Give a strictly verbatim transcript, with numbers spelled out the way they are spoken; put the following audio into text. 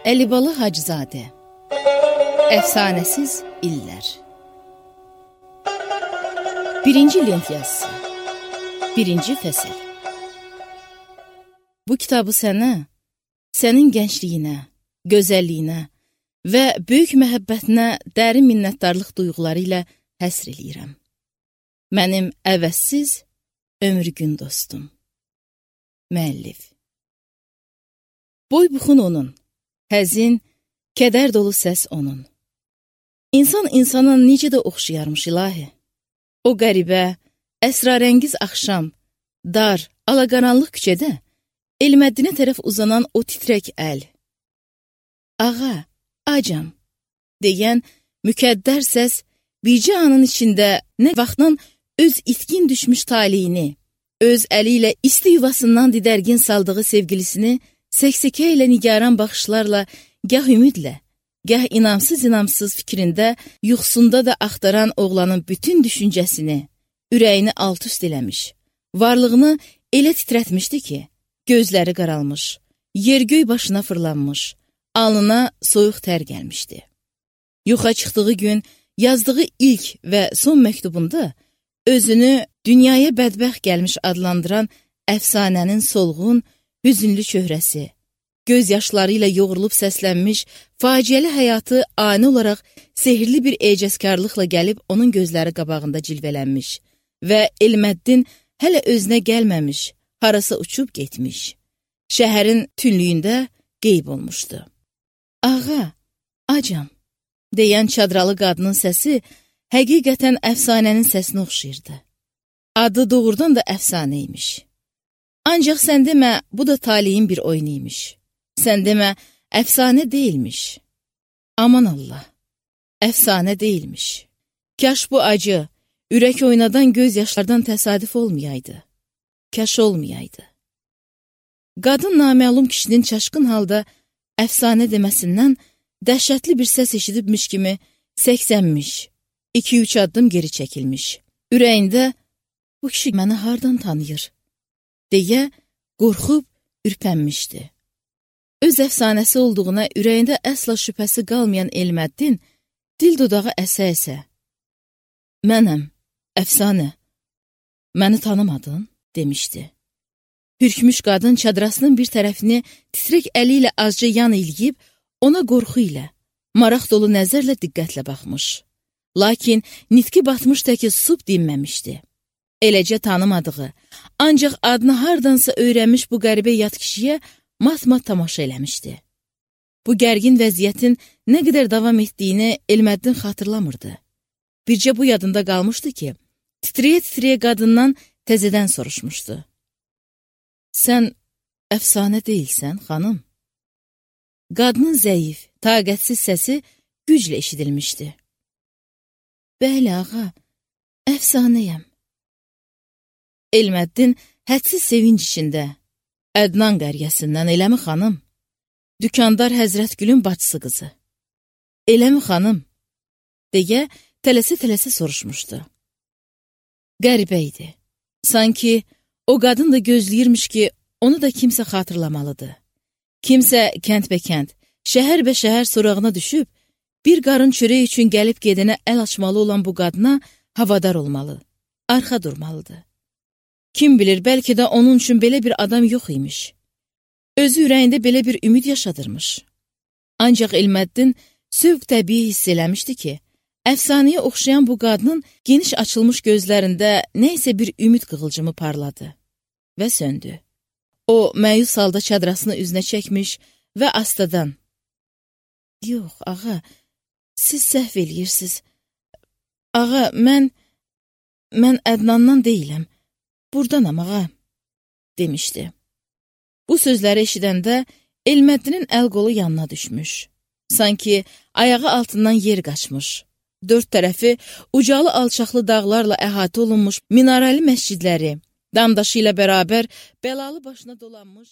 Əlibala Hacızadə Əfsanəsiz illər Birinci lent yazısı Birinci fəsil Bu kitabı sənə, sənin gəncliyinə, gözəlliyinə və böyük məhəbbətinə dərin minnətdarlıq duyğuları ilə həsr eləyirəm. Mənim əvəzsiz ömür gün dostum. Müəllif Boy buxun onun, həzin, kədər dolu səs onun. İnsan insana necə də oxşayarmış ilahi. O qəribə, əsrarəngiz axşam, dar, alaqaranlıq küçədə Elməddinə tərəf uzanan o titrək əl. Ağa, acam, deyən mükəddər səs bircə anın içində nə vaxtdan öz itkin düşmüş taliyini, öz əli ilə isti yuvasından didərgin saldığı sevgilisini səksəkə ilə nigaran baxışlarla gah ümidlə, gah inamsız-inamsız fikrində, yuxusunda da axtaran oğlanın bütün düşüncəsini, ürəyini alt-üst eləmiş, varlığını elə titrətmişdi ki, gözləri qaralmış, yer-göy başına fırlanmış, alnına soyuq tər gəlmişdi. Yoxa çıxdığı gün yazdığı ilk və son məktubunda özünü dünyaya bədbəxt gəlmiş adlandıran əfsanənin solğun, hüzünlü çöhrəsi, göz yaşları ilə yoğrulub səslənmiş, faciəli həyatı ani olaraq sehirli bir ecazkarlıqla gəlib onun gözləri qabağında cilvələnmiş və Elməddin hələ özünə gəlməmiş, harasa uçub getmiş, şəhərin tünlüyündə qeyb olmuşdu. Ağa, acam, deyən çadralı qadının səsi həqiqətən əfsanənin səsinə oxşayırdı. Adı doğrudan da əfsanə imiş. Ancaq sən demə, bu da taliyin bir oyunu imiş. Sən demə, əfsanə deyilmiş. Aman Allah, əfsanə deyilmiş. Kaş bu acı, ürək oynadan göz yaşlardan təsadüf olmayaydı. Kaş olmayaydı. Qadın naməlum kişinin çaşqın halda əfsanə deməsindən dəhşətli bir səs eşidibmiş kimi səksənmiş, iki-üç addım geri çəkilmiş. Ürəyində, bu kişi məni hardan tanıyır, deyə qorxub ürpənmişdi. Öz əfsanəsi olduğuna ürəyində əsla şübhəsi qalmayan Elməddin dil dodağı əsə-əsə. Mənəm, əfsanə, məni tanımadın, demişdi. Hürkmüş qadın çadrasının bir tərəfini titrək əli ilə azca yan eləyib, ona qorxu ilə, maraq dolu nəzərlə diqqətlə baxmış. Lakin nitqi batmış təki susub dinməmişdi. Eləcə tanımadığı, ancaq adını hardansa öyrənmiş bu qəribə yad kişiyə mat-mat tamaşa eləmişdi. Bu gərgin vəziyyətin nə qədər davam etdiyini Elməddin xatırlamırdı. Bircə bu yadında qalmışdı ki, titriyə-titriyə qadından təzədən soruşmuşdu. Sən əfsanə deyilsən, xanım? Qadının zəif, taqətsiz səsi güclə eşidilmişdi. Bəli, ağa, əfsanəyəm. Elməddin hədsiz sevinc içində, Ədnan qəryəsindən, eləmi xanım? Dükandar Həzrətgülün bacısı qızı. Eləmi xanım? Deyə tələsə-tələsə soruşmuşdu. Qəribə idi. Sanki o qadın da gözləyirmiş ki, onu da kimsə xatırlamalıdır. Kimsə kənd-bə-kənd, şəhər-bə-şəhər sorağına düşüb, bir qarın çörək üçün gəlib gedənə əl açmalı olan bu qadına havadar olmalı, arxa durmalıdır. Kim bilir, bəlkə də onun üçün belə bir adam yox imiş. Özü ürəyində belə bir ümid yaşadırmış. Ancaq Elməddin sövq təbii hiss eləmişdi ki, əfsanəyə oxşayan bu qadının geniş açılmış gözlərində nəysə bir ümid qığılcımı parladı və söndü. O, məyus halda çadrasını üzünə çəkmiş və astadan, yox, ağa, siz səhv eləyirsiniz. Ağa, mən, mən Ədnandan deyiləm, burdanam, ağa, demişdi. Bu sözləri eşidəndə Elməddinin əl-qolu yanına düşmüş. Sanki ayağı altından yer qaçmış. Dörd tərəfi ucalı alçaqlı dağlarla əhatə olunmuş minarəli məscidləri, damdaşı ilə bərabər bəlalı başına dolanmış